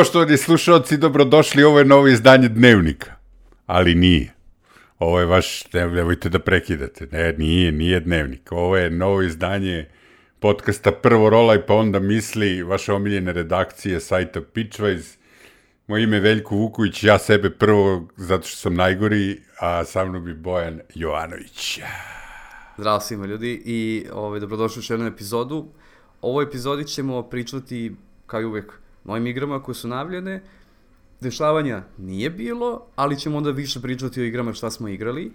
Poštovani slušalci, dobrodošli, ovo je novo izdanje Dnevnika. Ali nije. Ovo je vaš, nemojte da prekidate. Ne, nije Dnevnik. Ovo je novo izdanje podcasta Prvo rolaj, pa onda misli, vaše omiljene redakcije sajta Pitchwise. Moje ime je Veljko Vuković, ja sebe prvo, zato što sam najgori, a sa mnom bi Bojan Jovanović. Zdravo svima ljudi i dobrodošli u jednu epizodu. U ovoj epizodi ćemo pričati, kao i uvek, novim igrama koje su najavljene. Dešavanja nije bilo, ali ćemo onda više pričati o igrama šta smo igrali.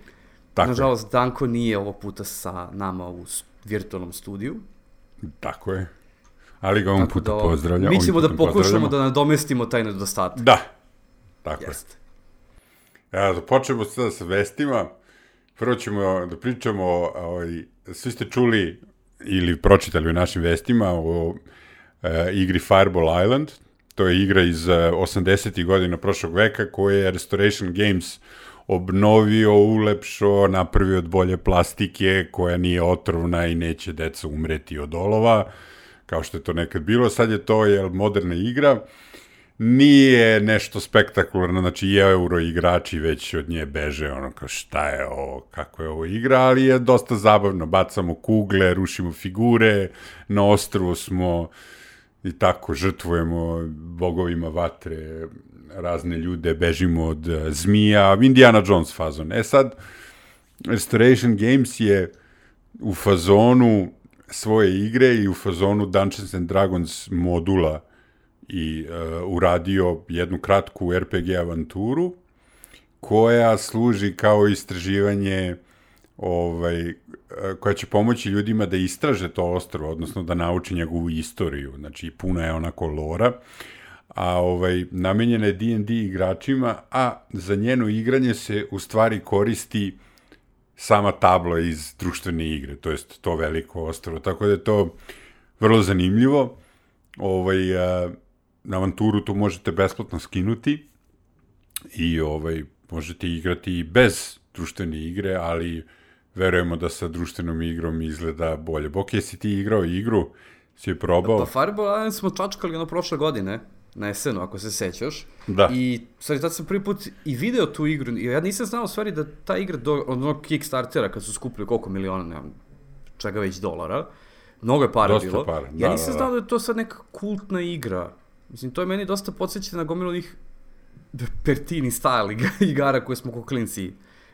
Tako nažalost, Danko nije ovog puta sa nama u virtualnom studiju. Tako je. Ali ga ovom puta pozdravljam. Mi ćemo da pokušamo da nadomestimo taj nedostatak. Da, tako je. Da počnemo sada sa vestima. Prvo ćemo da pričamo, svi ste čuli ili pročitali u našim vestima o igri Fireball Island. To je igra iz 80. godina prošlog veka koju je Restoration Games obnovio, ulepšao, napravio od bolje plastike koja nije otrovna i neće deca umreti od olova, kao što je to nekad bilo. Sad je to moderna igra. Nije nešto spektakularno, znači i euro igrači već od nje beže, ono kao šta je ovo, kako je ovo igra, ali je dosta zabavno. Bacamo kugle, rušimo figure, na ostrvu smo i tako žrtvujemo bogovima vatre, razne ljude, bežimo od zmija, Indiana Jones fazon. Sad, Restoration Games je u fazonu svoje igre i u fazonu Dungeons and Dragons modula i uradio jednu kratku RPG avanturu koja služi kao istraživanje koja će pomoći ljudima da istraže to ostrvo, odnosno da nauči njegovu istoriju. Znači, puno je onako lora, a namenjena je D&D igračima, a za njeno igranje se u stvari koristi sama tabla iz društvene igre, to jest to veliko ostrvo. Tako da je to vrlo zanimljivo. Na avanturu tu možete besplatno skinuti i možete igrati i bez društvene igre, ali verujemo da sa društvenom igrom izgleda bolje. Bok, jesi ti igrao igru? Si je probao? Pa Fireball Island smo čačkali prošle godine, na esenu, ako se sećaš. Da. I, stvari, tad sam prvi put i video tu igru. Ja nisam znao, stvari, da ta igra od onog Kickstartera, kad su skupili koliko miliona, nemam, čega već dolara, mnogo je para bilo. Dosta para, ja nisam znao da je to sad neka kultna igra. Mislim, to je meni dosta podsjeća na gomilu onih Pertini style igara koje smo ko klinci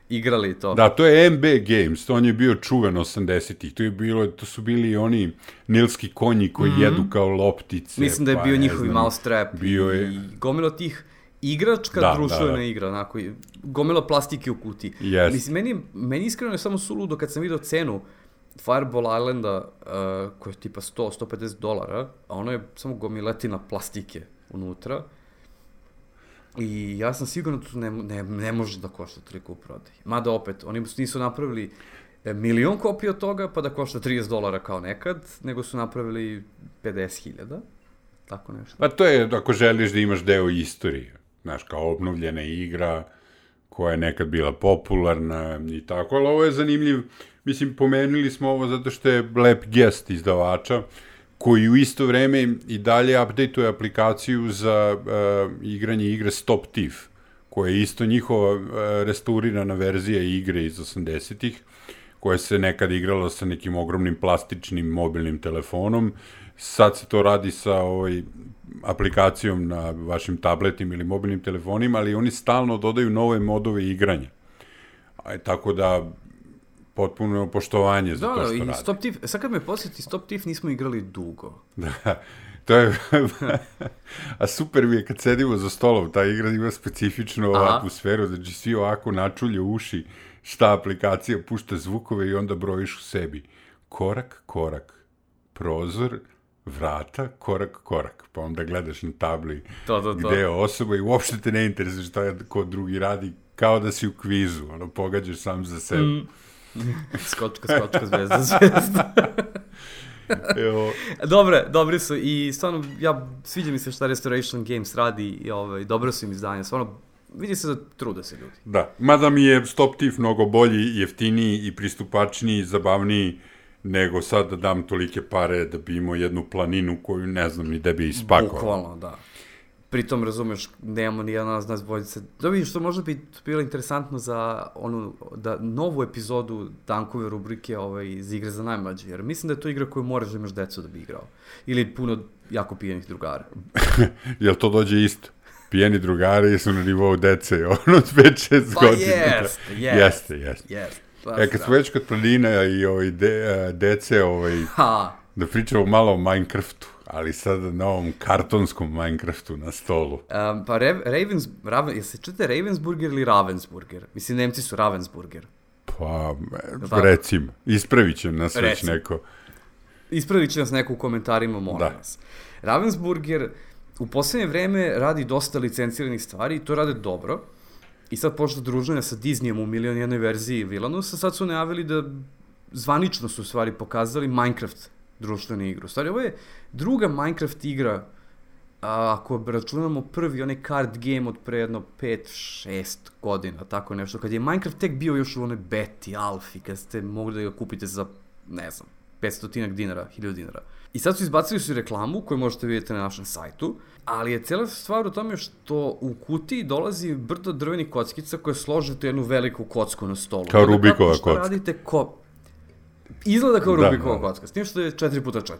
igrali to. Da, to je MB Games, to on je bio čuven 80-ih, to su bili oni nilski konji koji jedu kao loptice. Mislim da je bio njihovi mousetrap i gomilo tih igračka društvena igra, onako, gomilo plastike u kutiji. Yes. Mislim, meni iskreno je samo suludo kad sam vidio cenu Fireball Islanda, koja je tipa $100-150, a ono je samo gomiletina plastike unutra. I ja sam sigurno da to ne može da košta toliko u prodaji. Mada opet, oni nisu napravili milion kopija od toga pa da košta $30 kao nekad, nego su napravili 50.000, tako nešto. Pa to je ako želiš da imaš deo istorije, znaš, kao obnovljena igra koja je nekad bila popularna i tako, ali ovo je zanimljiv. Mislim, pomenuli smo ovo zato što je lep gest izdavača, koji u isto vreme i dalje update-uje aplikaciju za igranje igre Stop Thief, koja je isto njihova restaurirana verzija igre iz 80-ih, koja se nekad igrala sa nekim ogromnim plastičnim mobilnim telefonom. Sad se to radi sa aplikacijom na vašim tabletima ili mobilnim telefonima, ali oni stalno dodaju nove modove igranja. Tako da potpuno poštovanje za to što radi. Stop Thief, sad kad me posjeti, Stop Thief nismo igrali dugo. Da, to je... A super mi je kad sedimo za stolom, ta igra ima specifičnu atmosferu, znači svi ovako načulje uši, šta aplikacija pušta zvukove i onda brojiš u sebi. Korak, korak, prozor, vrata, korak, korak. Pa onda gledaš na tabli gde je osoba i uopšte te ne interesuje šta ko drugi radi, kao da si u kvizu, pogađaš sam za sebe. Skočka, zvezda. Dobri su i stvarno, sviđa mi se šta Restoration Games radi i dobro su im izdanja, stvarno vidi se da trude se ljudi. Da, mada mi je Stop Thief mnogo bolji, jeftiniji i pristupačniji, zabavniji nego sad da dam tolike pare da bi imao jednu planinu koju ne znam ni da bi ispakovao. Bukvalno, da. pritom, razumeš, nemamo ni jedan od nas dvojice. Da vidiš, što možda bi bilo interesantno za novu epizodu Dankove rubrike iz igre za najmlađe, jer mislim da je to igra koju moraš da imaš decu da bi igrao. Ili puno jako pijenih drugara. Jel to dođe isto? Pijeni drugari su na nivou dece, od 5-6 godina. Jeste. Kad smo već kod planina i dece, da pričamo malo o Minecraftu, ali sad na ovom kartonskom Minecraftu na stolu. Pa jel se čete Ravensburger ili Ravensburger? Mislim, Nemci su Ravensburger. Pa, recimo, ispravit će nas već neko. Ispravit će nas neko u komentarima, molim vas. Ravensburger u posljednje vreme radi dosta licenciranih stvari i to rade dobro. I sad počne druženja sa Disneyem u 1.000.000 verziji Villanusa, sad su najavili da zvanično su u stvari pokazali Minecraft društvenu igru. Stvari, ovo je druga Minecraft igra, ako računamo prvi onaj card game od pre jedno 5-6 godina, tako nešto, kad je Minecraft tek bio još u onoj beti, alfi, kad ste mogli da ga kupite za, ne znam, 500 dinara, 1000 dinara. I sad su izbacili su reklamu koju možete vidjeti na našem sajtu, ali je cijela stvar u tome što u kutiji dolazi brdo drvenih kockica koje složite jednu veliku kocku na stolu. Kao Rubikova kocka. Radite izgleda kao Rubikova kocka, s tim što je 4x4.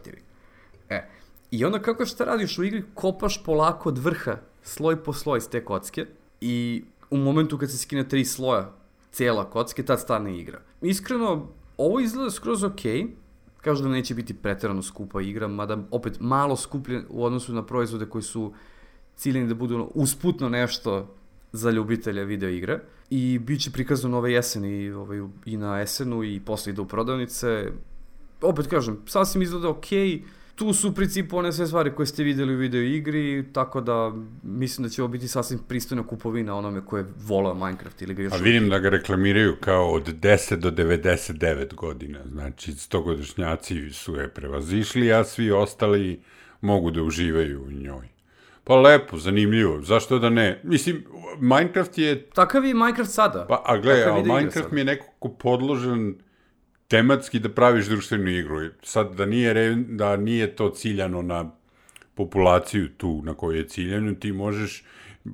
I onda kako šta radiš u igri, kopaš polako od vrha, sloj po sloj s te kocke i u momentu kad se skine 3 sloja cijela kocke, tad stane igra. Iskreno, ovo izgleda skroz okej. Kažu da neće biti preterano skupa igra, mada opet malo skuplje u odnosu na proizvode koji su ciljeni da budu usputno nešto za ljubitelje video igre. I bit će prikazano ove jeseni i na SN-u i posle ide u prodavnice. Opet kažem, sasvim izgleda okej. Tu su u principu one sve stvari koje ste videli u video igri, tako da mislim da će ovo biti sasvim pristojna kupovina onome koje volao Minecraft ili ga još... A vidim da ga reklamiraju kao od 10 do 99 godina, znači 100-godišnjaci su je prevazišli, a svi ostali mogu da uživaju u njoj. Pa lepo, zanimljivo, zašto da ne? Mislim, Minecraft je... Takav je Minecraft sada. Pa, a gledaj, Minecraft mi je nekako podložen tematski da praviš društvenu igru. Sad, da nije to ciljano na populaciju tu na kojoj je ciljano, ti možeš,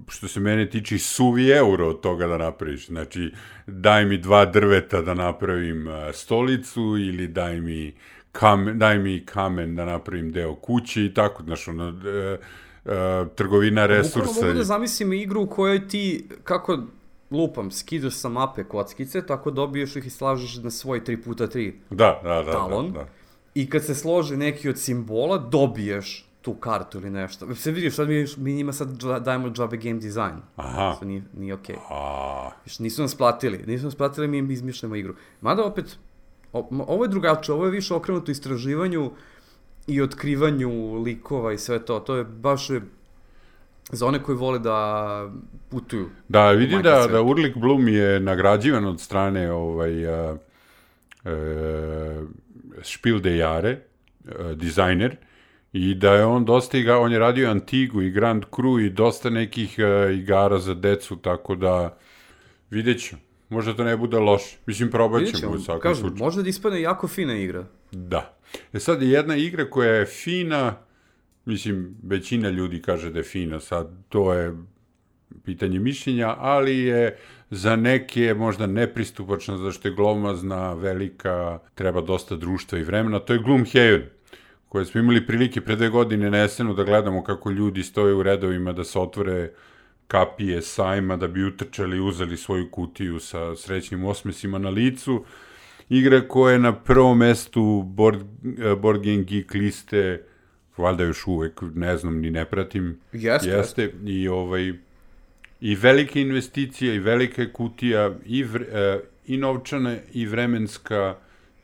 što se mene tiče, suvi euro od toga da napraviš. Znači, daj mi 2 drveta da napravim stolicu ili daj mi kamen da napravim deo kuće i tako, znaš, trgovina resursa. Bukvalno mogu da zamislim igru u kojoj ti, kako lupam, skidaš sa mape kockice, tako dobiješ ih i slažeš na svoj 3x3 talon. Da. I kad se složi neki od simbola, dobiješ tu kartu ili nešto. Se vidiš, sad mi njima sad dajemo džabe game design. Aha. Što nije okej. Nisu nas platili, mi im izmišljamo igru. Mada opet, ovo je drugačije, ovo je više okrenuto istraživanju i otkrivanju likova i sve to. To je baš za one koji vole da putuju. Da, vidim da Urlik Bloom je nagrađivan od strane Spiel des Jahres, dizajner, i da je on dosta on je radio Antigu i Grand Cru i dosta nekih igara za decu, tako da vidjet ću. Možda to ne bude loše. Mislim, probat ćemo u svakom slučaju. Možda da ispadne jako fina igra. Da. Sad je jedna igra koja je fina, mislim, većina ljudi kaže da je fina, sad to je pitanje mišljenja, ali je za neke možda nepristupačna, zašto je glomazna, velika, treba dosta društva i vremena. To je Gloomhaven, koje smo imali prilike pre 2 godine na SN-u da gledamo kako ljudi stoje u redovima da se otvore kapije sajma da bi utrčali i uzeli svoju kutiju sa srećnim osmesima na licu. Igra koja je na prvom mestu Board Game Geek liste, valjda još uvek, ne znam, ni ne pratim. Jeste. I velike investicije, i velika kutija, i novčana, i vremenska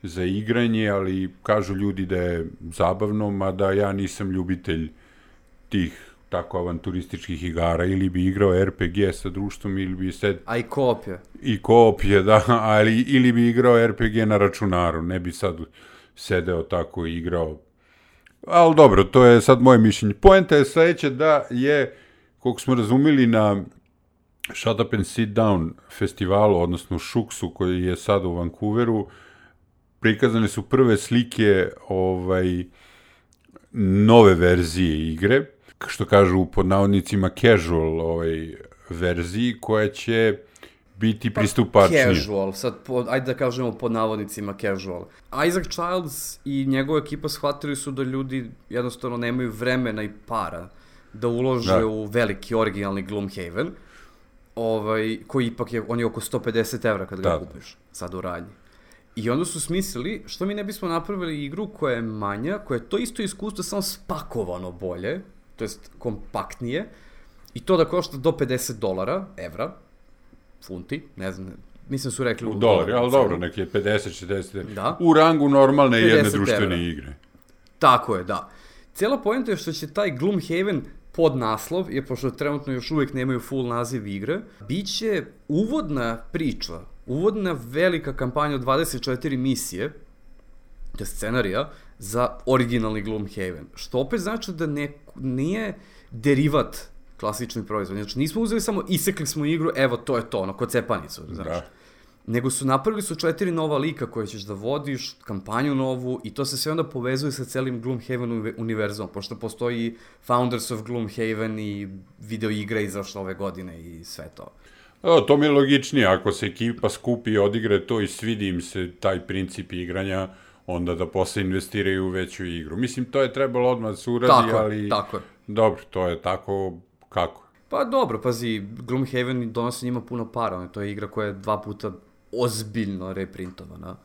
za igranje, ali kažu ljudi da je zabavno, mada ja nisam ljubitelj tih tako avanturističkih igara, ili bi igrao RPG sa društvom, ili bi A i koop je. I koop je, da, ali ili bi igrao RPG na računaru, ne bi sad sedeo tako i igrao. Ali dobro, to je sad moje mišljenje. Poenta je sledeća da je, koliko smo razumeli na Shut Up and Sit Down festivalu, odnosno Šuksu, koji je sad u Vancouveru, prikazane su prve slike nove verzije igre. što kažu pod navodnicima casual verziji koja će biti pristupačnije. Casual, sad ajde da kažemo pod navodnicima casual. Isaac Childs i njegova ekipa shvatili su da ljudi jednostavno nemaju vremena i para da ulože u veliki originalni Gloomhaven, koji ipak on je oko 150 evra kad ga kupiš sad u radnji. I onda su smislili, što mi ne bismo napravili igru koja je manja, koja je to isto iskustvo, samo spakovano bolje, to jest kompaktnije, i to da košta do $50, evra, funti, ne znam, mislim su rekli u dolari, ali dobro, neki je 50-60, u rangu normalne jedne društvene igre. Tako je, da. Cijela poenta je što će taj Gloomhaven pod naslov, jer pošto trenutno još uvijek nemaju full naziv igre, bit će uvodna priča, uvodna velika kampanja od 24 misije, to je scenarija, za originalni Gloomhaven. Što opet znači da nije derivat klasični proizvod. Znači, nismo uzeli samo, isekli smo igru, evo, to je to, kod cepanicu, znaš. Nego napravili su 4 nova lika koje ćeš da vodiš, kampanju novu, i to se sve onda povezuje sa celim Gloomhaven univerzumom, pošto postoji Founders of Gloomhaven i video igre izašle ove godine i sve to. To mi je logičnije, ako se ekipa skupi i odigre to i svidi im se taj princip igranja, onda da posle investiraju u veću igru. Mislim, to je trebalo odmah da se uradi, ali... Tako je. Dobro, to je tako kako? Pa dobro, pazi, Gloomhaven donosi njima puno para, to je igra koja je 2 puta ozbiljno reprintovana.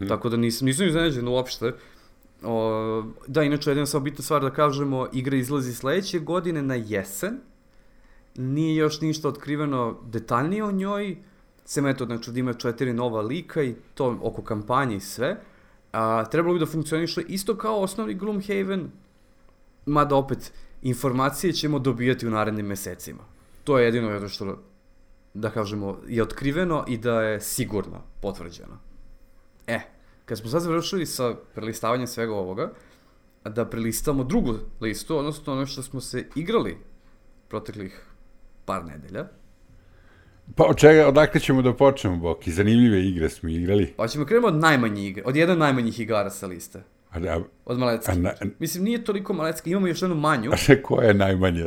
Tako da nisam iznenađen uopšte. Da, inače, jedna samo bitna stvar da kažemo, igra izlazi sledeće godine na jesen, nije još ništa otkriveno detaljnije o njoj, sem eto, znači da ima 4 nova lika i to oko kampanje i sve. Trebalo bi da funkcioniše isto kao osnovni Gloomhaven, mada opet informacije ćemo dobijati u narednim mesecima. To je jedino jedno što, da kažemo, je otkriveno i da je sigurno potvrđeno. Kad smo sad završili sa prelistavanjem svega ovoga, da prelistamo drugu listu, odnosno ono što smo se igrali proteklih par nedelja. Pa odakle ćemo da počnemo, Boki? Zanimljive igre smo igrali. Pa ćemo krenemo od najmanje igre, od jedan najmanjih igara sa liste. Od Malecki. Mislim, nije toliko Malecki, imamo još jednu manju. Koja je najmanja?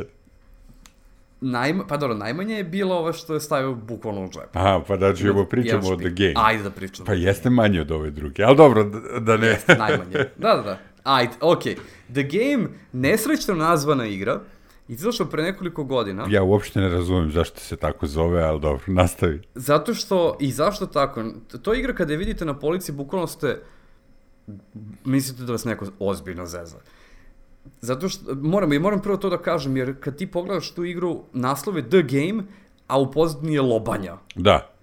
Pa dobro, najmanje je bilo ovo što je stavio bukvalno u džep. Aha, pa da ćemo pričamo o The Game. Ajde da pričamo. Pa jeste manje od ove druge, ali dobro, da ne... Jeste najmanje, da. Ajde, okej. The Game, nesrećno nazvana igra, izašla pre nekoliko godina. Ja uopšte ne razumem zašto se tako zove, ali dobro, nastavi. Zato što, i zašto tako? To je igra kada je vidite na polici, bukvalno ste, mislite da vas neko ozbiljno zeza. Zato što, moram prvo to da kažem, jer kad ti pogledaš tu igru, naslov je The Game, a u pozadini je lobanja. Da.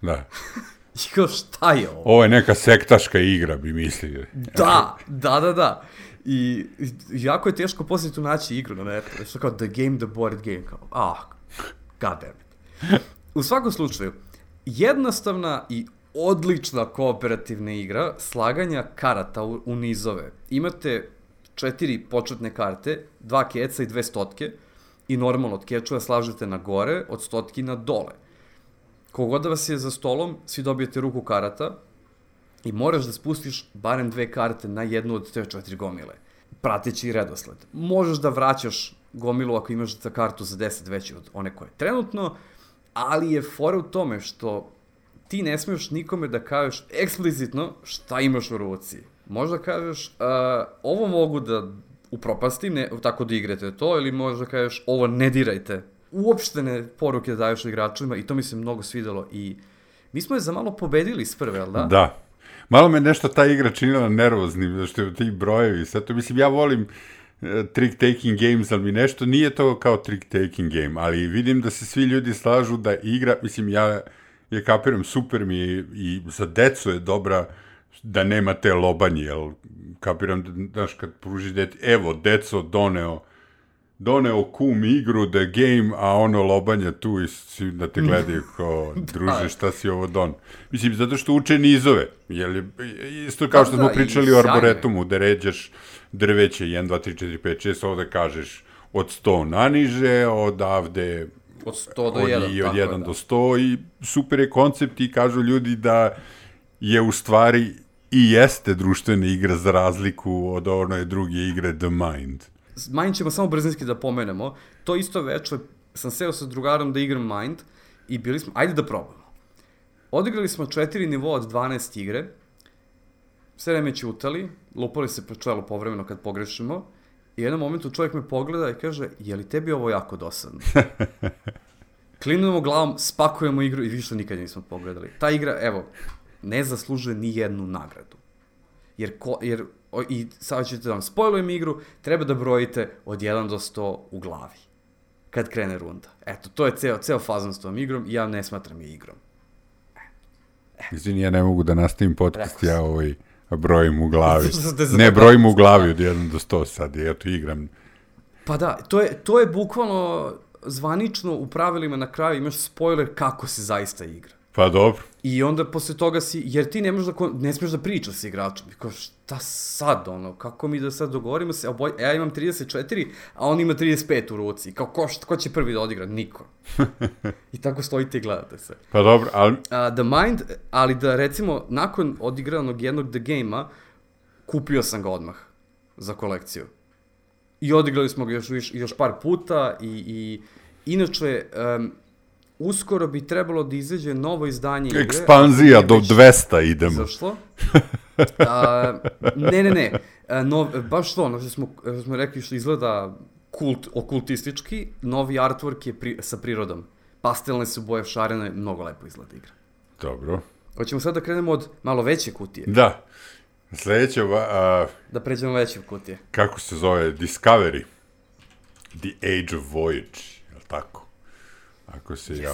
I kao, šta je ovo? Ovo je neka sektaška igra, bi mislili. Da. I jako je teško poslije tu naći igru na netu. Što kao The Game, the board game. Kao, god damn it. U svakom slučaju, jednostavna i odlična kooperativna igra slaganja karata u nizove. Imate 4 početne karte, 2 keca i 2 stotke, i normalno od kečeva slažete na gore, od stotki na dole. Kogod da vas je za stolom, svi dobijete ruku karata i moraš da spustiš barem 2 karte na jednu od te 4 gomile, prateći redosled. Možeš da vraćaš gomilu ako imaš za kartu za 10 veći od one koje je trenutno, ali je fora u tome što ti ne smiješ nikome da kažeš eksplicitno šta imaš u ruci. Možda kažeš, ovo mogu da upropastim, tako da igrate to, ili možda kažeš, ovo ne dirajte. Uopštene poruke da daješ igračima, i to mi se mnogo svidelo, i mi smo je za malo pobedili s prve, jel da? Da. Malo me nešto ta igra činila nervoznim, zašto je ti brojevi, sad to, mislim, ja volim trick-taking games, ali mi nešto nije to kao trick-taking game, ali vidim da se svi ljudi slažu da igra, mislim, ja je kapiram, super mi je, i za decu je dobra, da nema te lobanje, jel, kapiram, znaš, kad pruži deti, evo, deco doneo kum igru, the game, a ono lobanje tu i da te gledaju kao, druže, šta si ovo don. Mislim, zato što uče nizove, jel, isto kao što smo pričali o arboretumu, da ređaš drveće, 1, 2, 3, 4, 5, 6, ovde kažeš od 100 naniže, odavde od 100 do 1, od 1 do 100, i super je koncept, i kažu ljudi da je u stvari i jeste društvena igra za razliku od one druge igre The Mind. Mind ćemo samo brzinski da pomenemo. To isto veče sam seo sa drugarom da igram Mind i bili smo, ajde da probamo. Odigrali smo 4 nivoa od 12 igre, sve vreme ćutali, lupali se po čelu povremeno kad pogrešimo i u jednom momentu čovjek me pogleda i kaže, je li tebi ovo jako dosadno? Klimnemo glavom, spakujemo igru i više nikad nismo pogledali. Ta igra, evo, ne zaslužuje ni jednu nagradu. I sad ćete da vam spojlujem igru, treba da brojite od 1 do 100 u glavi. Kad krene runda. Eto, to je ceo fazon s tom igrom i ja ne smatram je igrom. Izvini, ja ne mogu da nastavim podcast, ja brojim u glavi. Ne, brojim u glavi od 1 do 100 sad, ja to igram. Pa da, to je bukvalno zvanično u pravilima na kraju imaš spoiler kako se zaista igra. Pa dobro. I onda posle toga jer ti ne smiješ da pričaš s igračom. Kao, šta sad, kako mi da sad dogovorimo se, ja imam 34, a on ima 35 u ruci. Kao, ko će prvi da odigra? Niko. I tako stojite i gledate se. Pa dobro, ali... The Mind, ali da recimo, nakon odigranog jednog The Game-a, kupio sam ga odmah za kolekciju. I odigrali smo ga još par puta i inače... uskoro bi trebalo da izađe novo izdanje igre. Ekspanzija do 200 idemo. Zašto? Ne. Baš to, što smo rekli što izgleda okultistički, novi artwork je sa prirodom. Pastelne su boje, šarene, mnogo lepo izgleda igra. Dobro. Hoćemo sad da krenemo od malo veće kutije. Da. Sljedeće... Da pređemo veće kutije. Kako se zove? Discovery. The Age of Voyage. Je li tako? Ako se ja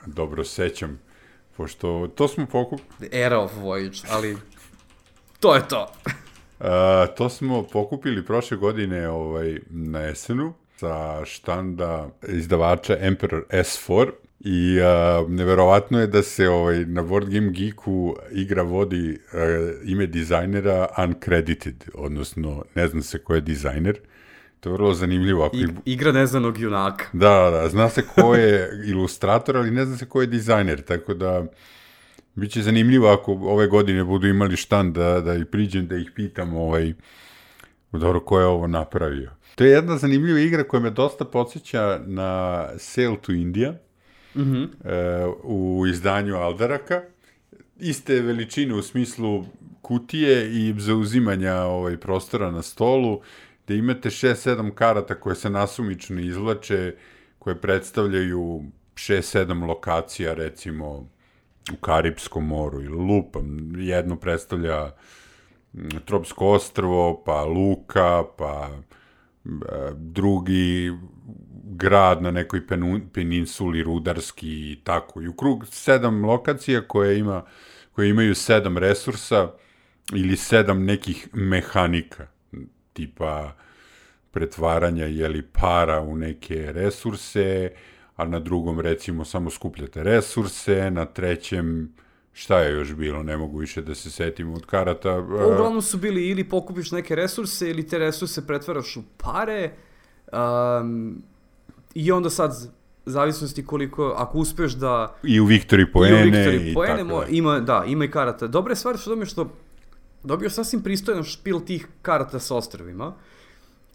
dobro sećam, pošto to smo pokupili... The Era of Voyage, ali to je to. To smo pokupili prošle godine na esenu sa štanda izdavača Emperor S4 i neverovatno je da se na Board Game Geeku igra vodi ime dizajnera uncredited, odnosno ne znam se ko je dizajner. To je vrlo zanimljivo. Igra neznanog junaka. Da, zna se ko je ilustrator, ali ne zna se ko je dizajner, tako da bit će zanimljivo ako ove godine budu imali štand da ih priđem, da ih pitam dobro, ko je ovo napravio. To je jedna zanimljiva igra koja me dosta podsjeća na Sail to India, u izdanju Aldaraka. Iste veličine u smislu kutije i zauzimanja prostora na stolu, gde imate 6-7 karata koje se nasumično izvlače, koje predstavljaju 6-7 lokacija, recimo u Karipskom moru ili lupam. Jedno predstavlja Tropsko ostrvo, pa Luka, pa drugi grad na nekoj peninsuli, rudarski i tako. I u krug 7 lokacija koje imaju 7 resursa ili 7 nekih mehanika, tipa pretvaranja para u neke resurse, a na drugom recimo samo skupljate resurse, na trećem šta je još bilo, ne mogu više da se setim od karata. Uglavnom su bili ili pokupiš neke resurse ili te resurse pretvaraš u pare i onda sad zavisnosti koliko, ako uspeš da... I u Victory poene i tako da. Ima i karata. Dobra je stvar što dobio sasvim pristojan špil tih karata sa ostrvima,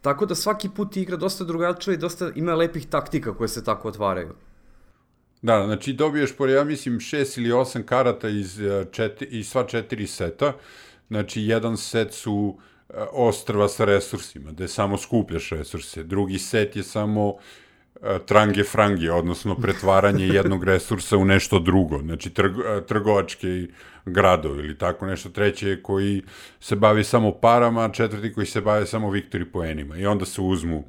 tako da svaki put igra dosta drugačije i dosta ima lepih taktika koje se tako otvaraju. Da, znači dobiješ, ja mislim, 6 ili 8 karata iz sva 4 seta, znači jedan set su ostrva sa resursima, gde samo skupljaš resurse, drugi set je samo trange-frange, odnosno pretvaranje jednog resursa u nešto drugo, znači trgovačke gradovi ili tako nešto, treće koji se bavi samo parama, četvrti koji se bavi samo Victory poenima i onda se uzmu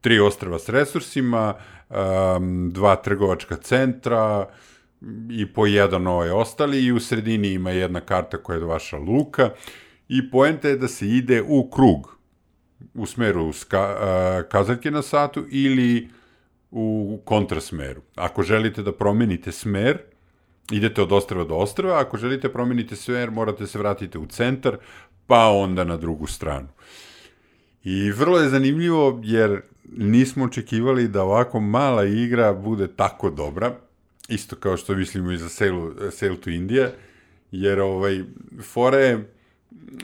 3 ostrva s resursima, 2 trgovačka centra i po jedan ostali i u sredini ima jedna karta koja je vaša luka i poenta je da se ide u krug u smeru kazaljke na satu ili u kontrasmeru. Ako želite da promenite smer, idete od ostrva do ostrva, ako želite promenite smer, morate se vratiti u centar, pa onda na drugu stranu. I vrlo je zanimljivo, jer nismo očekivali da ovako mala igra bude tako dobra, isto kao što mislimo i za Sail to India, jer fora je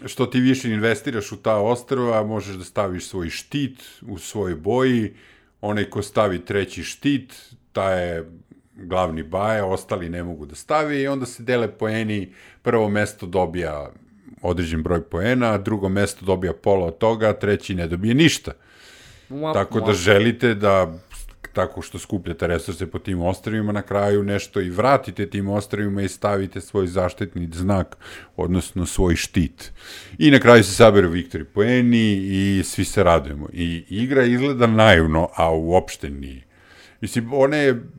što ti više investiraš u ta ostrva, možeš da staviš svoj štit u svojoj boji, onaj ko stavi treći štit, taj je glavni baja, ostali ne mogu da stavi i onda se dele poeni, prvo mesto dobija određen broj poena, drugo mesto dobija pola od toga, treći ne dobije ništa. Tako da želite da tako što skupljate resurse po tim ostrvima, na kraju nešto i vratite tim ostrvima i stavite svoj zaštitni znak, odnosno svoj štit. I na kraju se saberu viktori poeni i svi se radujemo. I igra izgleda naivno, a uopšte nije. Mislim,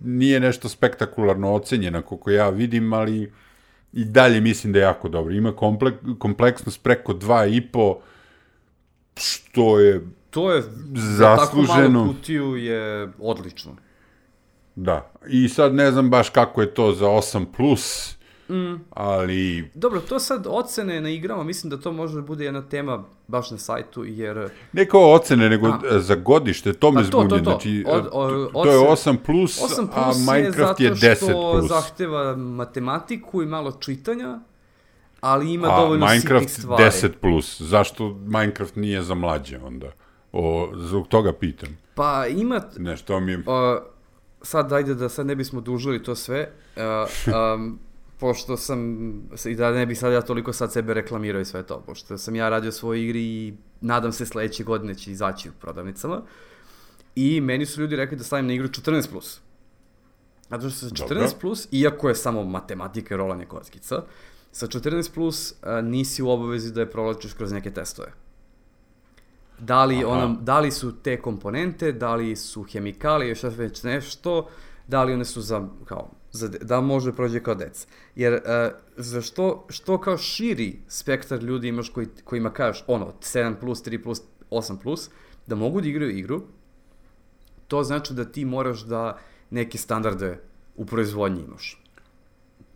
nije nešto spektakularno ocenjena, koliko ja vidim, ali i dalje mislim da je jako dobro. Ima kompleksnost preko 2,5, što je to je, zasluženo. Tako malu kutiju je odlično. Da, i sad ne znam baš kako je to za 8+, ali... Dobro, to sad ocene na igrama, mislim da to može da bude jedna tema baš na sajtu, jer... Ne kao ocene, nego za godište, to me zbunje, znači, to je 8+, a Minecraft je 10+. 8+ je zato što zahteva matematiku i malo čitanja, ali ima dovoljno sitnih stvari. Minecraft 10+, zašto Minecraft nije za mlađe onda? Zbog toga pitam. Pa ima... Nešto mi je... Sad, ajde da sad ne bismo dužili to sve, pošto sam, i da ne bi sad ja toliko sad sebe reklamirao i sve to, pošto sam ja radio svoje igri i nadam se sledeće godine će izaći u prodavnicama, i meni su ljudi rekli da stavim na igru 14+. Zato što sa 14+, iako je samo matematika i rolanje kockica, sa 14+, nisi u obavezi da je provlačiš kroz neke testove. Da li su te komponente, da li su hemikalije, šta već nešto, da li one su da može prođe kao deca. Jer što kao širi spektar ljudi imaš kojima kažeš 7+, 3+, 8+, da mogu da igraju igru, to znači da ti moraš da neke standarde u proizvodnji imaš.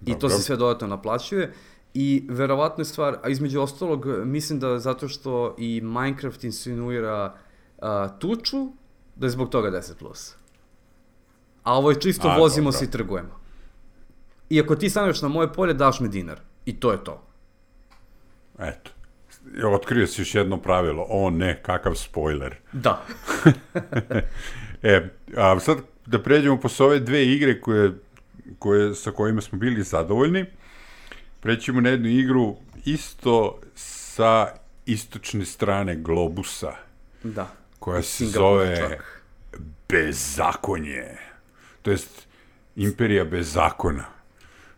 I to se sve dodatno naplaćuje. I verovatno je stvar, a između ostalog, mislim da zato što i Minecraft insinuira tuču, da je zbog toga 10+. A ovo je čisto vozimo se i trgujemo. I ako ti staneš na moje polje, daš mi dinar. I to je to. Eto. Otkrio si još jedno pravilo. O ne, kakav spoiler. Da. A sad da pređemo po ove dve igre sa kojima smo bili zadovoljni. Prećemo na jednu igru isto sa istočne strane globusa. Da. Koja se zove Bezakonje. To jest Imperija bez zakona.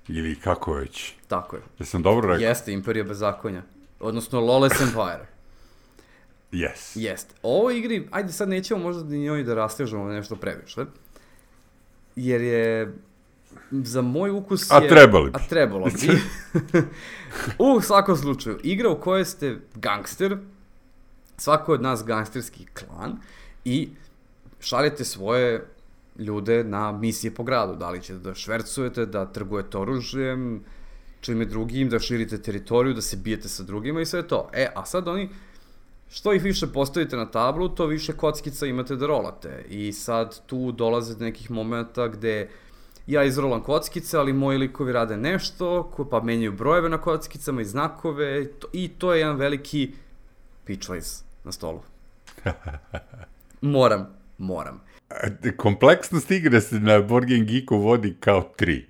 Ili kako već. Tako je. Jesam dobro rekao? Jeste, Imperija bez zakonja. Odnosno Lawless Empire. Jeste. Ovo igri, ajde sad nećemo možda ni njoj da rastežemo nešto previše. Jer je... Za moj ukus je... A trebalo bi. U svakom slučaju, igra u kojoj ste gangster, svako od nas gangsterski klan, i šaljete svoje ljude na misije po gradu. Da li ćete da švercujete, da trgujete oružjem, čime drugim, da širite teritoriju, da se bijete sa drugima i sve to. A sad oni, što ih više postavite na tablu, to više kockica imate da rolate. I sad tu dolaze do nekih momenta gde ja izrolam kockice, ali moji likovi rade nešto, pa menjaju brojeve na kockicama i znakove, i to je jedan veliki pitchways na stolu. Moram. Kompleksnost igre se na Board Game Geeku vodi kao 3.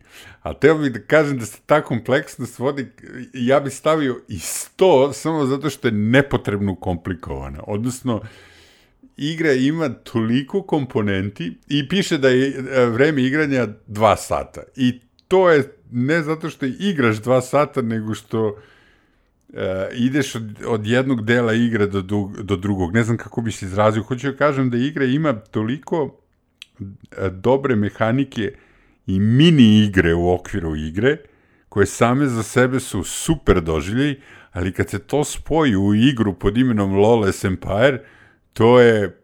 A teo bih da kažem da se ta kompleksnost vodi, ja bih stavio i 100, samo zato što je nepotrebno komplikovana. Odnosno, igra ima toliko komponenti i piše da je vreme igranja 2 sata. I to je ne zato što igraš 2 sata, nego što ideš od jednog dela igre do drugog. Ne znam kako bi se izrazio. Hoću da kažem da igra ima toliko dobre mehanike i mini igre u okviru igre, koje same za sebe su super doživljaj, ali kad se to spoji u igru pod imenom Lawless Empire, to je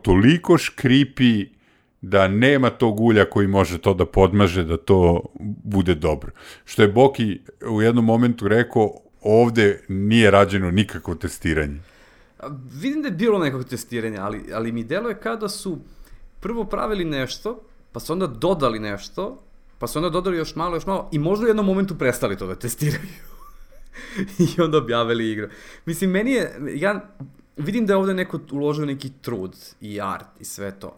toliko škripi da nema tog ulja koji može to da podmaže, da to bude dobro. Što je Boki u jednom momentu rekao, ovde nije rađeno nikakvo testiranje. Vidim da je bilo nekog testiranja, ali mi deluje kada su prvo pravili nešto, pa su onda dodali nešto, pa su onda dodali još malo i možda u jednom momentu prestali to da testiraju. I onda objavili igru. Mislim, meni je, ja vidim da je ovde neko uložio neki trud i art i sve to.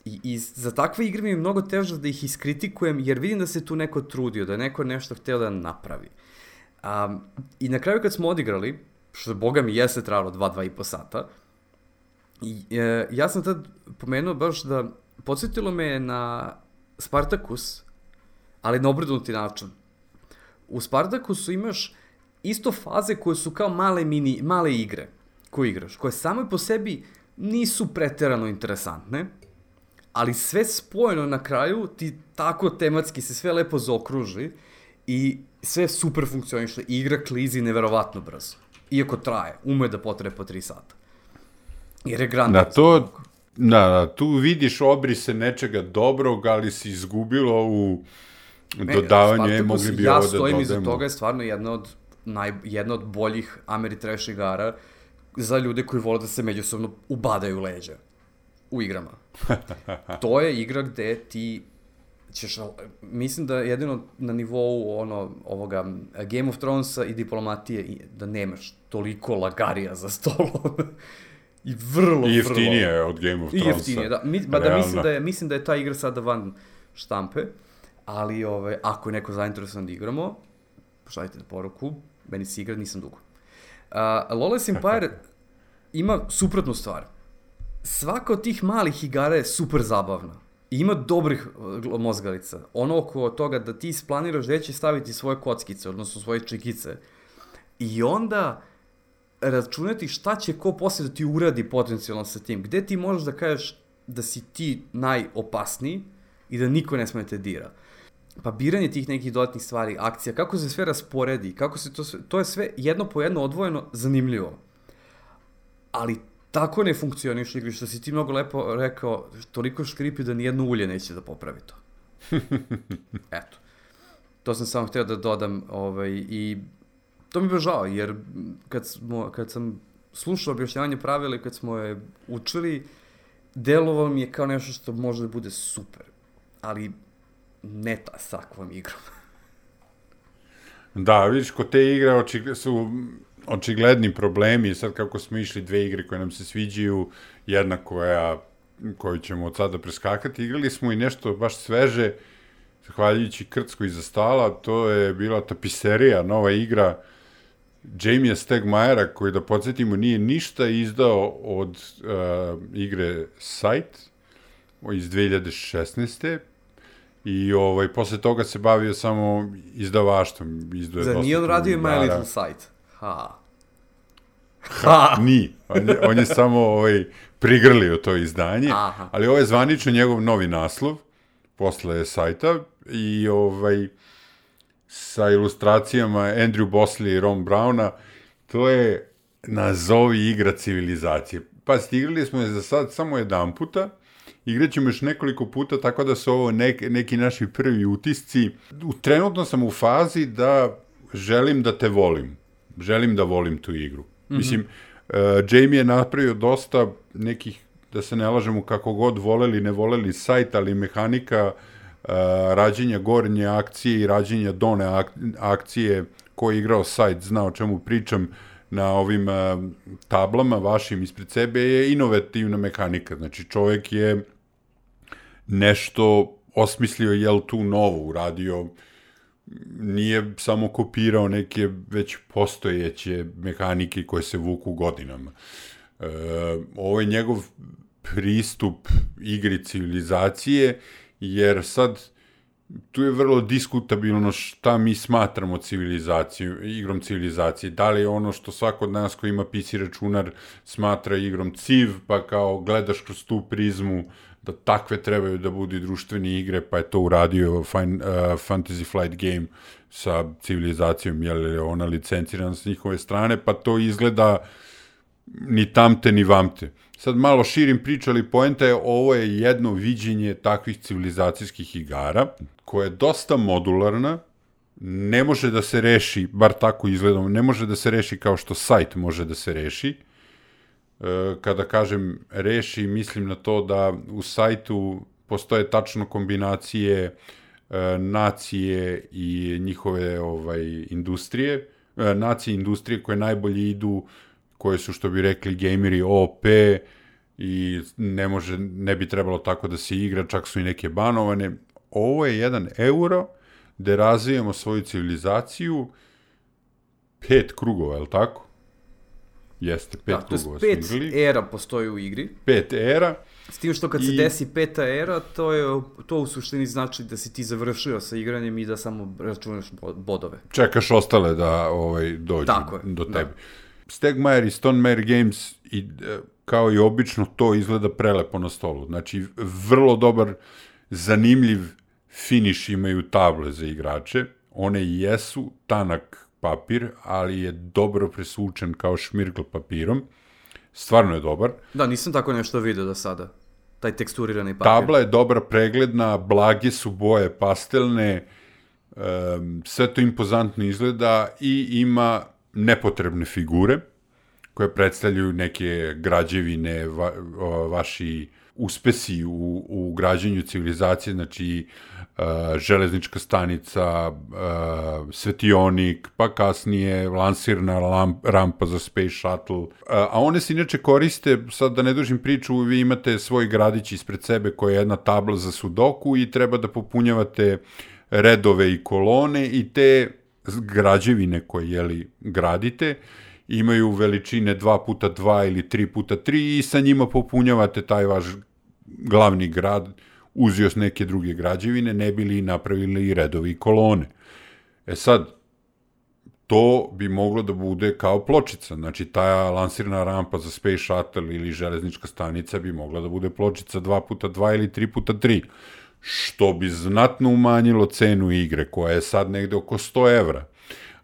I za takve igre mi je mnogo teže da ih iskritikujem, jer vidim da se tu neko trudio, da je neko nešto hteo da napravi. I na kraju kad smo odigrali, što boga mi jeste trajalo 2,5 sata, ja sam tad pomenuo baš da podsjetilo me na Spartacus, ali na obrnuti način. U Spartacusu imaš isto faze koje su kao male igre koje igraš, koje same po sebi nisu preterano interesantne, ali sve spojeno na kraju ti tako tematski se sve lepo zaokruži i sve super funkcioniše. Igra klizi neverovatno brzo. Iako traje, ume da potraje po 3 sata. Jer je grandiozno. Tu vidiš obrise nečega dobrog, ali si izgubilo u dodavanju, mogli bi ovo da dodajemo. Ja stojim iza toga, je stvarno jedna od boljih Ameritrash igara za ljude koji vole da se međusobno ubadaju leđa u igrama. To je igra gde ti ćeš, mislim da jedino na nivou ovoga Game of Thronesa i diplomatije da nemaš toliko lagarija za stolom. I vrlo, I jeftinije je od Game of Thronesa. I jeftinije, da. Mislim da je ta igra sada van štampe, ali ako je neko zainteresovan da igramo, pošaljite na poruku, meni se igra, nisam dugo. Lawless Empire ima suprotnu stvar. Svaka od tih malih igara je super zabavna. I ima dobrih mozgalica. Ono oko toga da ti isplaniraš gde će staviti svoje kockice, odnosno svoje čekice. I onda računati šta će ko poslije da ti uradi potencijalno sa tim. Gde ti možeš da kažeš da si ti najopasniji i da niko ne sme te dira. Pa biranje tih nekih dodatnih stvari, akcija, kako se sve rasporedi, kako se to je sve jedno po jedno odvojeno zanimljivo. Ali tako ne funkcioniš igri, što si ti mnogo lepo rekao, toliko škripi da nijedno ulje neće da popravi to. Eto. To sam samo hteo da dodam i to mi je žao, jer kad sam slušao objašnjavanje pravila i kad smo je učili, delovalo mi je kao nešto što može da bude super, ali ne s takvom igrom. Da, vidiš, kod te igre su očigledni problemi, sad kako smo išli 2 igre koje nam se sviđaju, jedna koju ćemo od sada preskakati, igrali smo i nešto baš sveže, zahvaljujući Krckoj iza stala, to je bila Tapiserija, nova igra Jamie Stegmajera, koji, da podsjetimo, nije ništa izdao od igre Sight iz 2016. I posle toga se bavio samo izdavaštvom. Zar nije on radio My Little Sight? Nije. On je samo prigrlio to izdanje, ali ovo je zvanično njegov novi naslov posle sajta i sa ilustracijama Andrew Bosley i Ron Browna. To je nazovi igra civilizacije. Pa igrali smo je za sad samo jedan puta, igrat ćemo još nekoliko puta, tako da su ovo neki naši prvi utisci. Trenutno sam u fazi da želim da te volim. Želim da volim tu igru. Mislim, Jamie je napravio dosta nekih, da se ne lažemo, kako god voleli, ne voleli sajt, ali mehanika rađenja gornje akcije i rađenja done akcije, ko je igrao sajt zna o čemu pričam, na ovim tablama vašim ispred sebe je inovativna mehanika. Znači, čovek je nešto osmislio, tu novo uradio, nije samo kopirao neke već postojeće mehanike koje se vuku godinama. Ovo je njegov pristup igri civilizacije, jer sad tu je vrlo diskutabilno šta mi smatramo igrom civilizacije. Da li je ono što svako od nas ko ima PC računar smatra igrom civ, pa kao gledaš kroz tu prizmu da takve trebaju da budu društvene igre, pa je to uradio Fantasy Flight Game sa civilizacijom, jer je ona licencirana s njihove strane, pa to izgleda ni tamte ni vamte. Sad malo širim priču, ali poenta je, ovo je jedno viđenje takvih civilizacijskih igara, koja je dosta modularna, ne može da se reši, bar tako izgledamo, ne može da se reši kao što sajt može da se reši. Kada kažem reši, mislim na to da u sajtu postoje tačno kombinacije nacije i njihove industrije, nacije industrije koje najbolje idu, koje su, što bi rekli gameri, OP i ne bi trebalo tako da se igra, čak su i neke banovane. Ovo je 1 euro gde razvijamo svoju civilizaciju 5 krugova, je li tako? Jeste, 5 krugova smo igrali. 5 era postoji u igri. 5 era. S tim što kad se desi 5. era, to u suštini znači da si ti završio sa igranjem i da samo računaš bodove. Čekaš ostale da dođu do tebe. Stegmaier i Stonemaier Games, kao i obično, to izgleda prelepo na stolu. Znači, vrlo dobar, zanimljiv finiš imaju table za igrače. One jesu tanak papir, ali je dobro presvučen kao šmirgl papirom. Stvarno je dobar. Da, nisam tako nešto vidio do sada. Taj teksturirani papir. Tabla je dobra, pregledna, blage su boje, pastelne, sve to impozantno izgleda i ima nepotrebne figure koje predstavljaju neke građevine, vaši uspesi u građenju civilizacije, znači železnička stanica, svetionik, pa kasnije lansirna rampa za Space Shuttle. A one se inače koriste, sad da ne dužim priču, vi imate svoj gradić ispred sebe koja je jedna tabla za sudoku i treba da popunjavate redove i kolone i te građevine koje gradite imaju veličine 2x2 ili 3x3 i sa njima popunjavate taj vaš glavni grad uz još neke druge građevine, ne bi li napravili i redovi i kolone. Sad, to bi moglo da bude kao pločica, znači ta lansirna rampa za Space Shuttle ili železnička stanica bi mogla da bude pločica 2x2 ili 3x3, što bi znatno umanjilo cenu igre, koja je sad negde oko 100 evra,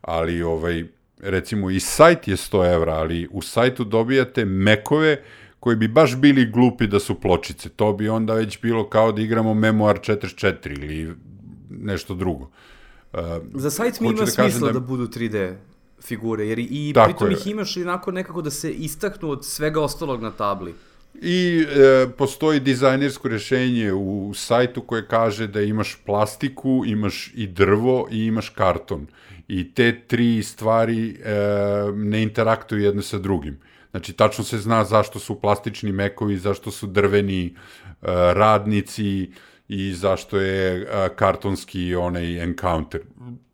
ali recimo i sajt je 100 evra, ali u sajtu dobijate mekove koji bi baš bili glupi da su pločice. To bi onda već bilo kao da igramo Memoir 44 ili nešto drugo. Za sajt mi ima smisla da budu 3D figure, jer i pritom ih imaš inako nekako da se istaknu od svega ostalog na tabli. I postoji dizajnersko rešenje u sajtu koje kaže da imaš plastiku, imaš i drvo i imaš karton. I te 3 stvari ne interaktuju jedno sa drugim. Znači, tačno se zna zašto su plastični mekovi, zašto su drveni radnici i zašto je kartonski onaj encounter.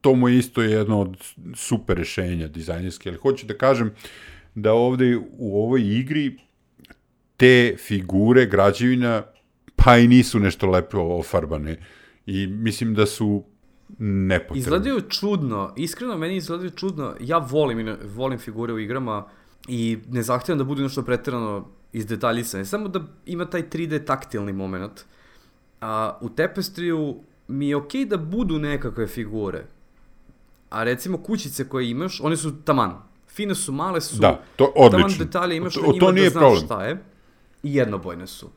To mu je isto jedno od super rešenja dizajnerske, ali hoću da kažem da ovde u ovoj igri te figure građevina pa i nisu nešto lepo ofarbane i mislim da su nepotrebne. Izgledaju čudno, iskreno meni izgledaju čudno, ja volim figure u igrama i ne zahtevam da budu nešto preterano izdetaljisane, samo da ima taj 3D taktilni moment. A u Tapestriju mi je okej da budu nekakve figure, a recimo kućice koje imaš, one su taman, fine su, male su, da, to odlično. Taman detalje imaš na njima da znaš problem. Šta je i jednobojne su.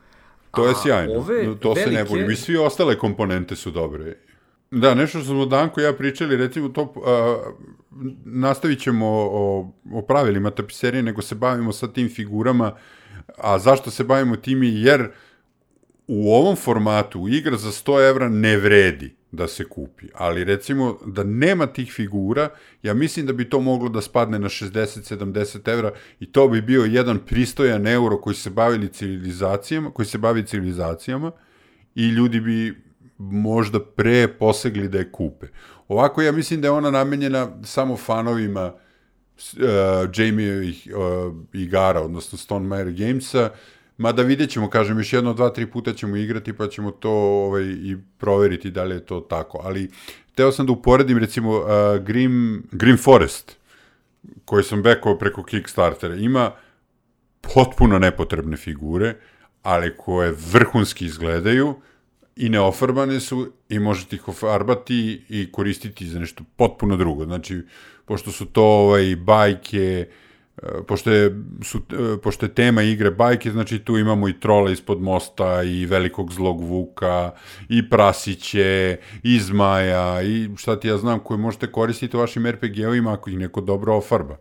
To je sjajno, to se ne boli. I svi ostale komponente su dobre. Da, nešto što smo Danko i ja pričali, recimo to, nastavit ćemo o pravilima tapiserije, nego se bavimo sa tim figurama, a zašto se bavimo timi, jer u ovom formatu igra za 100 evra ne vredi da se kupi, ali recimo da nema tih figura, ja mislim da bi to moglo da spadne na 60-70 evra i to bi bio jedan pristojan euro koji se bavi civilizacijama i ljudi bi možda pre posegli da je kupe. Ovako ja mislim da je ona namenjena samo fanovima Jamie-ovih igara, odnosno Stonemaier Gamesa, mada vidjet ćemo, kažem, još 1-2-3 puta ćemo igrati pa ćemo to i proveriti da li je to tako, ali teo sam da uporedim recimo Grim Forest, koji sam bekao preko Kickstartera, ima potpuno nepotrebne figure, ali koje vrhunski izgledaju i neofarbane su i možete ih ofarbati i koristiti za nešto potpuno drugo. Znači, pošto su to bajke, pošto je tema igre bajke, znači tu imamo i trola ispod mosta i velikog zlog vuka i prasiće i zmaja i šta ti ja znam koje možete koristiti u vašim RPG-ovima ako ih neko dobro ofarba.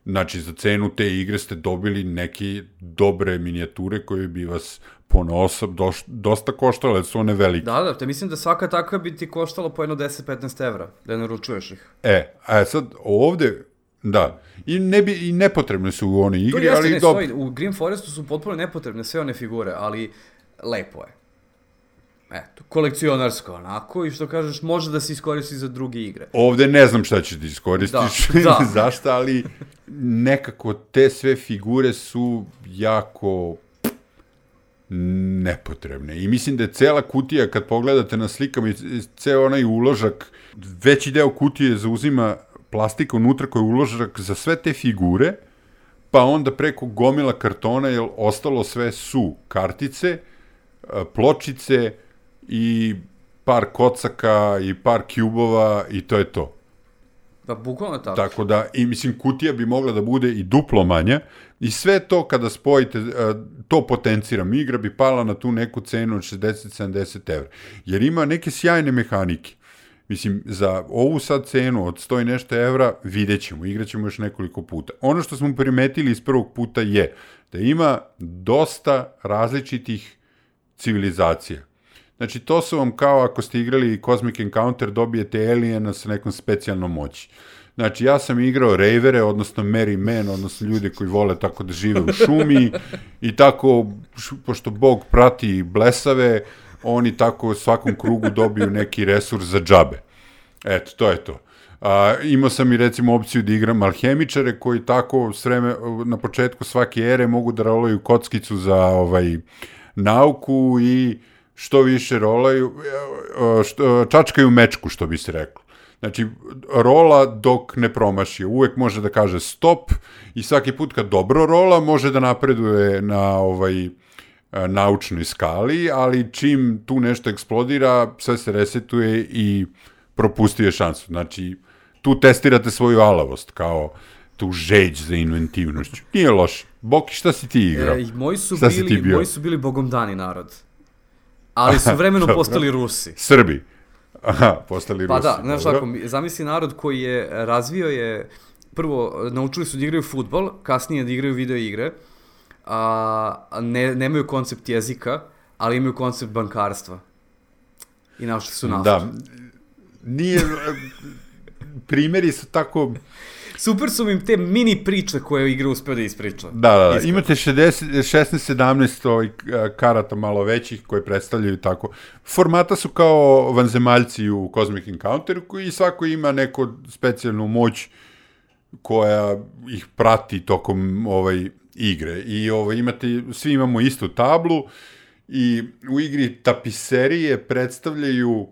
Znači, za cenu te igre ste dobili neke dobre minijature koje bi vas ponosob dosta koštale, jer su one velike. Da, te mislim da svaka takva bi ti koštala po jedno 10-15 evra, da naručuješ ih. A sad ovde Da. I nepotrebne su u onoj igri, ali dobro. U Grim Forestu su potpuno nepotrebne sve one figure, ali lepo je. Eto, kolekcionarsko onako i što kažeš, može da se iskoristi za druge igre. Ovde ne znam šta ćeš da iskoristiš, zašto, ali nekako te sve figure su jako nepotrebne. I mislim da je cela kutija, kad pogledate na slikama i ceo onaj uložak, veći deo kutije zauzima plastika unutra koja je uložak za sve te figure, pa onda preko gomila kartona, jer ostalo sve su kartice, pločice i par kocaka i par kjubova i to je to. Da, bukvalno tako. Tako da, i mislim, kutija bi mogla da bude i duplo manja i sve to kada spojite, to potenciram, igra bi pala na tu neku cenu od 60-70 evra. Jer ima neke sjajne mehanike. Mislim, za ovu sad cenu od 100 i nešto evra vidjet ćemo, igrat ćemo još nekoliko puta. Ono što smo primetili iz prvog puta je da ima dosta različitih civilizacija. Znači, to su vam kao ako ste igrali Cosmic Encounter, dobijete aliena sa nekom specijalnom moći. Znači, ja sam igrao rejvere, odnosno merry men, odnosno ljude koji vole tako da žive u šumi i tako, pošto Bog prati blesave, oni tako u svakom krugu dobiju neki resurs za džabe. Eto, to je to. Imao sam i recimo opciju da igram alhemičare koji tako na početku svake ere mogu da rolaju kockicu za nauku i što više rolaju, čačkaju mečku, što bi se reklo. Znači, rola dok ne promaši. Uvek može da kaže stop i svaki put kad dobro rola može da napreduje na naučnoj skali, ali čim tu nešto eksplodira, sve se resetuje i propustuje šansu. Znači, tu testirate svoju alavost, kao tu žeđ za inventivnošću. Nije loše. Boki, šta si ti igrao? Moji su bili bogomdani narod. Ali su vremenom postali Rusi. Srbi. Aha, postali Rusi. Pa da, znaš tako, zamisli narod koji je razvio je, prvo, naučili su da igraju fudbal, kasnije da igraju video igre, nemaju koncept jezika, ali imaju koncept bankarstva. I našli su naftu. Da, nije, primjeri su tako... Super su im te mini priče koje igra uspeo da ispriča. Da, imate 16-17 karata malo većih koje predstavljaju tako. Formata su kao vanzemaljci u Cosmic Encounteru i svako ima neku specijalnu moć koja ih prati tokom igre. I svi imamo istu tablu i u igri tapiserije predstavljaju,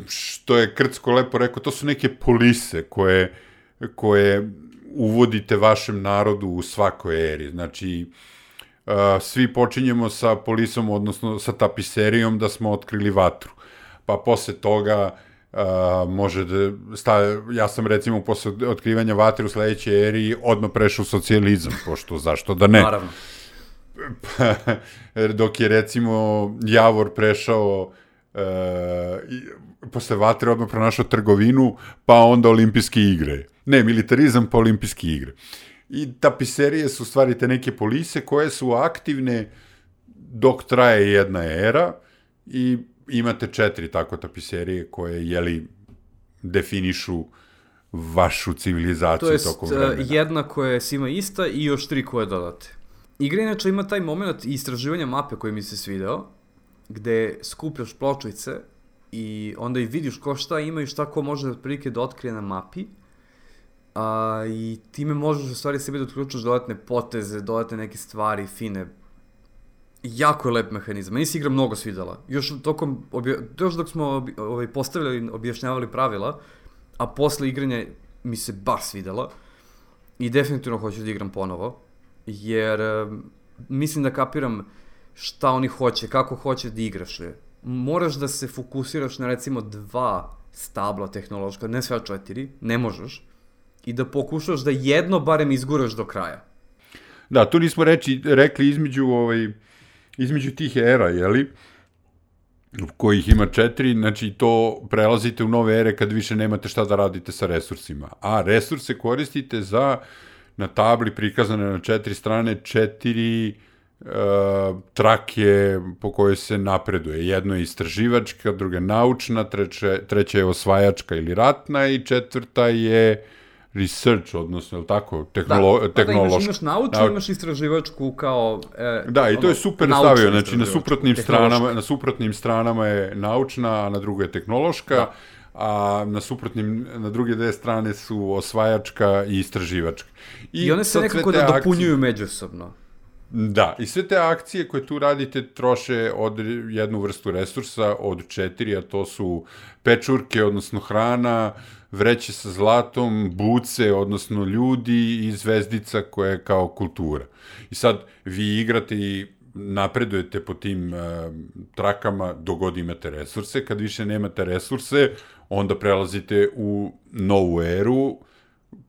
što je Krcko lepo rekao, to su neke polise koje uvodite vašem narodu u svakoj eri. Znači, svi počinjemo sa polisom, odnosno sa tapiserijom da smo otkrili vatru. Pa posle toga može da ja sam recimo posle otkrivanja vatre u sledećoj eri odmah prešao u socijalizam, pošto zašto da ne. Naravno. Dok je recimo Javor prešao posle vatre odmah pronašao trgovinu, pa onda olimpijske igre. Ne, militarizam pa olimpijske igre. I tapiserije su stvari te neke polise koje su aktivne dok traje jedna era i imate 4 tako tapiserije koje, definišu vašu civilizaciju tokom vremena. To jest jedna koja je svima ista i još 3 koje dodate. Igra inače ima taj moment istraživanja mape koji mi se svideo, gde skupljaš pločice i onda i vidiš ko šta ima i šta ko može otprilike da otkrije na mapi. I time možeš u stvari sebi da otključaš dodatne poteze, dodatne neke stvari, fine. Jako je lep mehanizam. Meni se igra mnogo svidela. Još dok smo postavljali, objašnjavali pravila, a posle igranja mi se baš svidela. I definitivno hoću da igram ponovo. Jer mislim da kapiram šta oni hoće, kako hoće da igraš. Moraš da se fokusiraš na recimo 2 stabla tehnološka, ne sve 4, ne možeš. I da pokušaš da jedno barem izguraš do kraja. Da, tu nismo rekli između tih era, kojih ima 4, znači to prelazite u nove ere kad više nemate šta da radite sa resursima. A resurse koristite za, na tabli prikazane na 4 strane, 4 trake po kojoj se napreduje. Jedno je istraživačka, druga naučna, treća je osvajačka ili ratna i 4. je research, odnosno, je li tako, tehnološka. Imaš naučnu, imaš istraživačku kao... Da, i to je super stavio, znači na suprotnim stranama je naučna, a na drugoj je tehnološka, a na druge dve strane su osvajačka i istraživačka. I one se nekako dopunjuju međusobno. Da, i sve te akcije koje tu radite troše od jednu vrstu resursa, od 4, a to su pečurke, odnosno hrana, vreće sa zlatom, buce, odnosno ljudi i zvezdica koja je kao kultura. I sad vi igrate i napredujete po tim trakama dok god imate resurse. Kad više nemate resurse, onda prelazite u novu eru.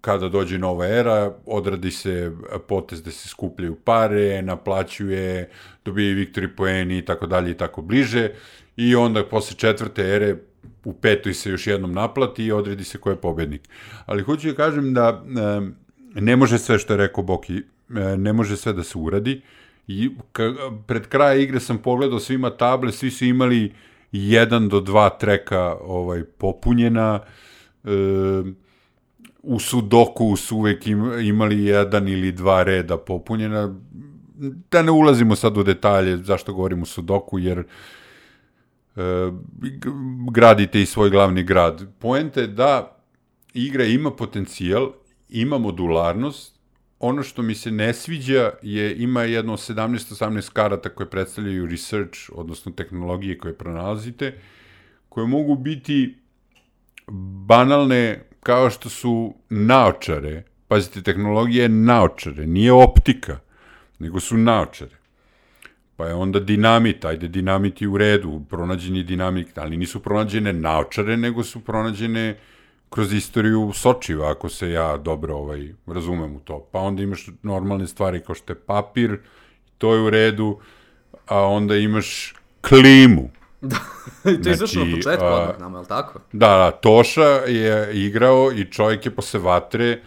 Kada dođe nova era, odradi se potez da se skupljaju pare, naplaćuje, dobije viktori poeni i tako dalje i tako bliže. I onda posle 4. ere u 5. se još jednom naplati i odredi se ko je pobednik. Ali hoću da kažem da ne može sve što je rekao Boki, ne može sve da se uradi. I pred kraj igre sam pogledao svima table, svi su imali 1 do 2 treka popunjena. U Sudoku su uvek imali 1 ili 2 reda popunjena. Da ne ulazimo sad u detalje zašto govorim u Sudoku, jer gradite i svoj glavni grad. Poenta je da igra ima potencijal, ima modularnost. Ono što mi se ne sviđa ima jedno 17-18 karata koje predstavljaju research, odnosno tehnologije koje pronalazite, koje mogu biti banalne kao što su naočare. Pazite, tehnologija je naočare, nije optika, nego su naočare. Pa je onda dinamit, ajde dinamit je u redu, pronađen je dinamit, ali nisu pronađene naočare, nego su pronađene kroz istoriju sočiva, ako se ja dobro razumem u to. Pa onda imaš normalne stvari kao što je papir, to je u redu, a onda imaš klimu. Da, i to je izašlo na početku odmah nama, je li tako? Da, Toša je igrao i čovjek je posle vatre,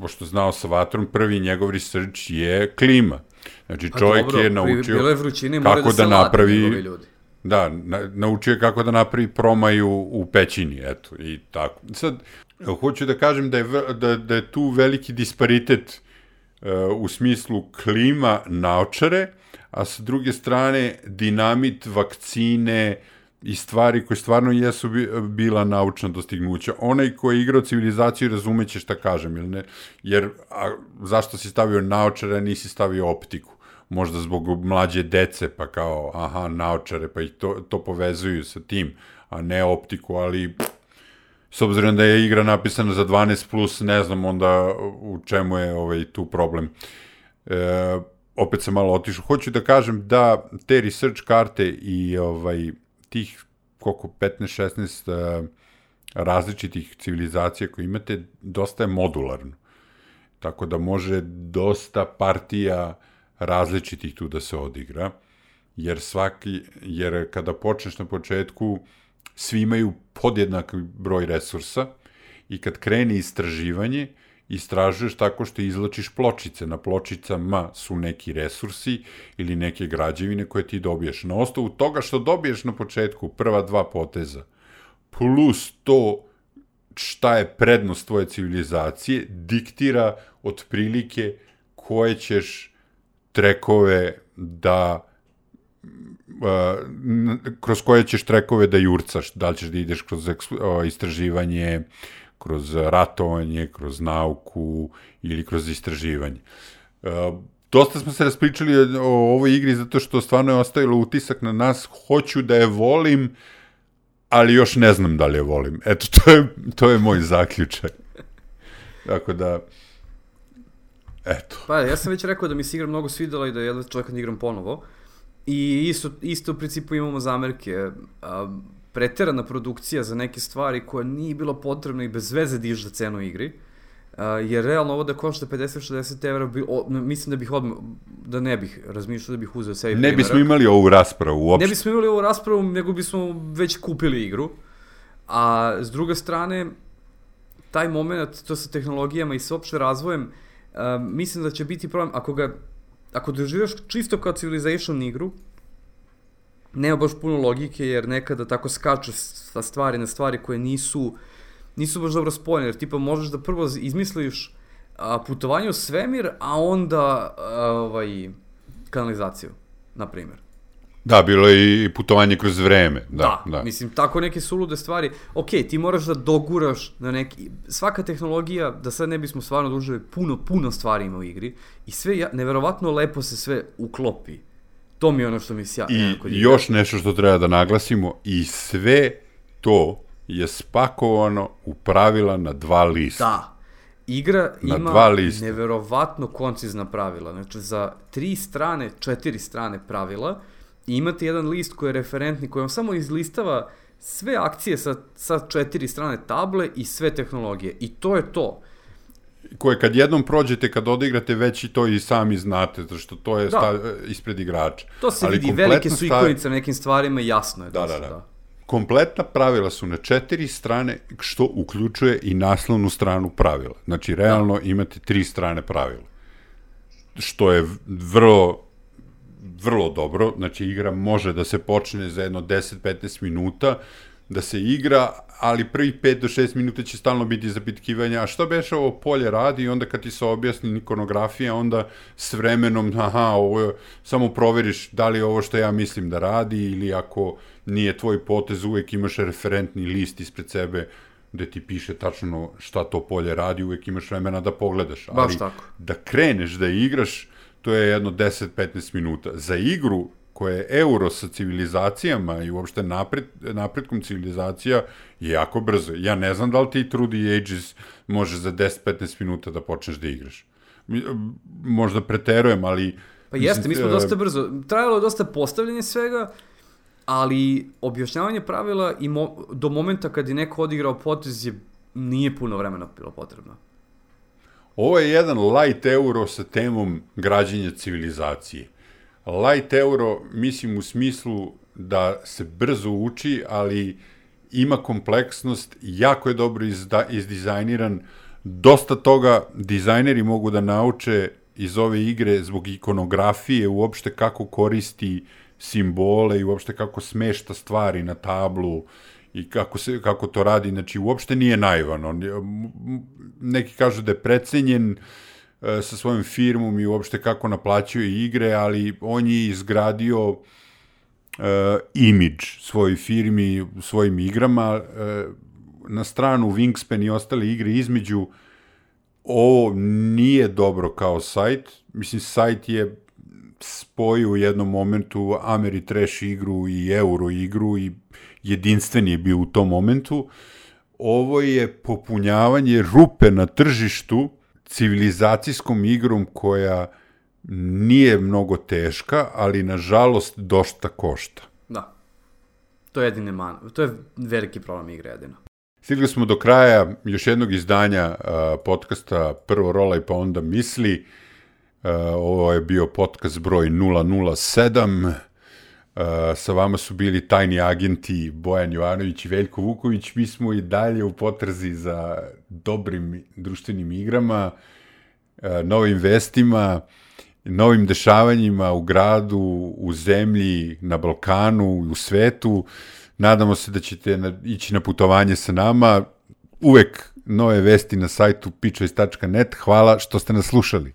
pošto znao sa vatrom, prvi njegov research je klima. Znači čovjek je naučio kako da napravi... Da, naučio je kako da napravi promaju u pećini, eto, i tako. Sad, hoću da kažem da je tu veliki disparitet u smislu klima naočare, a sa druge strane dinamit, vakcine i stvari koje stvarno jesu bila naučna dostignuća. Onaj ko je igrao civilizaciju razumeće šta kažem, jer zašto si stavio naočare, a nisi stavio optiku? Možda zbog mlađe dece, pa kao, aha, naočare, pa ih to povezuju sa tim, a ne optiku, ali s obzirom da je igra napisana za 12+, ne znam onda u čemu je tu problem. Opet sam malo otišao. Hoću da kažem da te research karte i tih, koliko, 15-16 različitih civilizacija koje imate, dosta je modularno. Tako da može dosta partija različitih tu da se odigra, jer kada počneš na početku, svi imaju podjednak broj resursa i kad krene istraživanje, istražuješ tako što izlačiš pločice. Na pločicama su neki resursi ili neke građevine koje ti dobiješ. Na osnovu toga što dobiješ na početku, prva 2 poteza, plus to šta je prednost tvoje civilizacije, diktira otprilike koje ćeš trekove kroz koje ćeš trekove da jurcaš, da li ćeš da ideš kroz istraživanje, kroz ratovanje, kroz nauku ili kroz istraživanje. Dosta smo se raspričali o ovoj igri zato što stvarno je ostavilo utisak na nas, hoću da je volim, ali još ne znam da li je volim. Eto, to je moj zaključak. Tako da, eto. Pa, ja sam već rekao da mi se igra mnogo svidela i da jedva čovjek da igram ponovo. I isto u principu imamo zamerke. Preterana produkcija za neke stvari koja nije bilo potrebno i bez veze diže cenu igri. Jer realno ovo da košta 50-60 evra, mislim da bih da ne bih razmišljao da bih uzeo sebi primerak. Ne bismo imali ovu raspravu uopšte. Ne bismo imali ovu raspravu, nego bismo već kupili igru. A s druge strane, taj moment, to sa tehnologijama i sa opšte razvojem, mislim da će biti problem, ako doživljaš čisto kao Civilization igru, nema baš puno logike, jer nekada tako skaču sa stvari na stvari koje nisu nisu baš dobro spojene, jer tipa možeš da prvo izmisliš putovanje u svemir, a onda kanalizaciju, na primjer. Da, bilo je i putovanje kroz vreme. Da. Mislim, tako neke sulude stvari. Ok, ti moraš da doguraš na neki... Svaka tehnologija, da sad ne bismo stvarno dužili, puno stvari ima u igri i sve, neverovatno lepo se sve uklopi. To mi je ono što mi sja... I još nešto što treba da naglasimo, i sve to je spakovano u pravila na 2 lista. Da. Igra ima neverovatno koncizna pravila. Znači, za 4 strane pravila i imate jedan list koji je referentni, koji vam samo izlistava sve akcije sa 4 strane table i sve tehnologije. I to je to. Koje kad jednom prođete, kad odigrate, već i to i sami znate, zato što to je ispred igrača. To se vidi, velike su ikonice na nekim stvarima, jasno je. Da. Kompletna pravila su na 4 strane, što uključuje i naslovnu stranu pravila. Znači, realno imate 3 strane pravila. Što je vrlo dobro. Znači, igra može da se počne za jedno 10-15 minuta, da se igra, ali prvi 5 do 6 minuta će stalno biti zapitkivanja, a što beše ovo polje radi, i onda kad ti se objasni ikonografija, onda s vremenom, samo proveriš da li je ovo što ja mislim da radi, ili ako nije tvoj potez, uvek imaš referentni list ispred sebe gde ti piše tačno šta to polje radi, uvek imaš vremena da pogledaš. Baš tako. Da kreneš da igraš, to je jedno 10-15 minuta. Za igru koja je euro sa civilizacijama i uopšte napretkom civilizacija je jako brzo. Ja ne znam da li ti Through the Ages može za 10-15 minuta da počneš da igraš. Možda preterujem, ali... Pa jeste, mi smo dosta brzo. Trajalo je dosta postavljanje svega, ali objašnjavanje pravila i do momenta kad je neko odigrao potez nije puno vremena bilo potrebno. Ovo je jedan light euro sa temom građenja civilizacije. Light euro, mislim u smislu da se brzo uči, ali ima kompleksnost, jako je dobro izdizajniran. Dosta toga dizajneri mogu da nauče iz ove igre zbog ikonografije, uopšte kako koristi simbole i uopšte kako smešta stvari na tablu i kako to radi. Znači, uopšte nije naivan. Neki kažu da je precenjen sa svojom firmom i uopšte kako naplaćuje igre, ali on je izgradio imidž svojoj firmi, svojim igrama. Na stranu Wingspan i ostale igre između, ovo nije dobro kao sajt. Mislim, sajt je spojio u jednom momentu Ameritrash igru i Euro igru i jedinstven je bio u tom momentu. Ovo je popunjavanje rupe na tržištu civilizacijskom igrom koja nije mnogo teška, ali nažalost dosta košta. Da. To je to je veliki problem igre jedino. Stigli smo do kraja još jednog izdanja podcasta Prvo rolaj pa onda misli. Ovo je bio podcast broj 007. Sa vama su bili tajni agenti Bojan Jovanović i Veljko Vuković. Mi smo i dalje u potrazi za dobrim društvenim igrama, novim vestima, novim dešavanjima u gradu, u zemlji, na Balkanu, u svetu. Nadamo se da ćete ići na putovanje sa nama. Uvek nove vesti na sajtu pitchoice.net. Hvala što ste nas slušali.